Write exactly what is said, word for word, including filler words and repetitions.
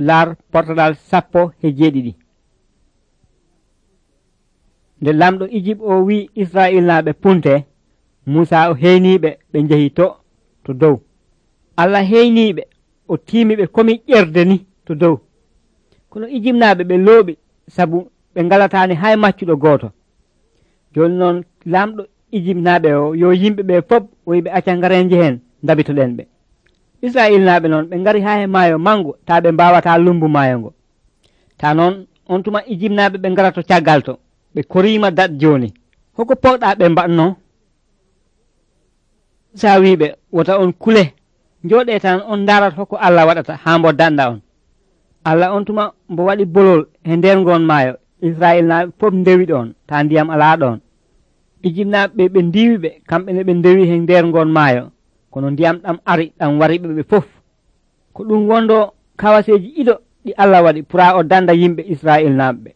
laar portadal sappo e jeeɗiɗi. Nde lamɗo Ijip o wi Israil naaɓe punte, Musa o heyniɓe ɓe jehi to to dow. Allah heyniɓe o tiimiɓe komi ƴerde ni to dow. Kono Ijip naaɓe ɓe looɓi sabu ɓe ngalatani hay maccuɗo gooto. Joni noon lamɗo Ijip naaɓe o yo yimɓe ɓe fof o yiɓe acca ngare njehen dabitoɗen ɓe. Israil naaɓe noon ɓe ngari ha e maayo mango ta ɓe mbawata lumbu maayo ngo. Ta noon on tuma Ijip naaɓe ɓe ngara to caggal to ɓe korima dat joni. Hoko poɗɗa ɓe mbatno? Sa wiɓe wota on kule jooɗe tan on darat hokko Allah waɗata ha mbo danɗa on. Allah on tuma mbo waɗi bolol e nder ngon maayo. Israil naaɓe fof ndewi ɗon ta ndiyam ala ɗon. Ijip naaɓe ɓe ndiwiɓe kamɓe ne ɓe ndewi e nder ngon maayo, kono ndiyam ɗam ari ɗam wariɓe ɓe fof. Ko ɗum wondo kawaseji ido ɗi Allah waɗi pura o danda yimɓe Israil naaɓe.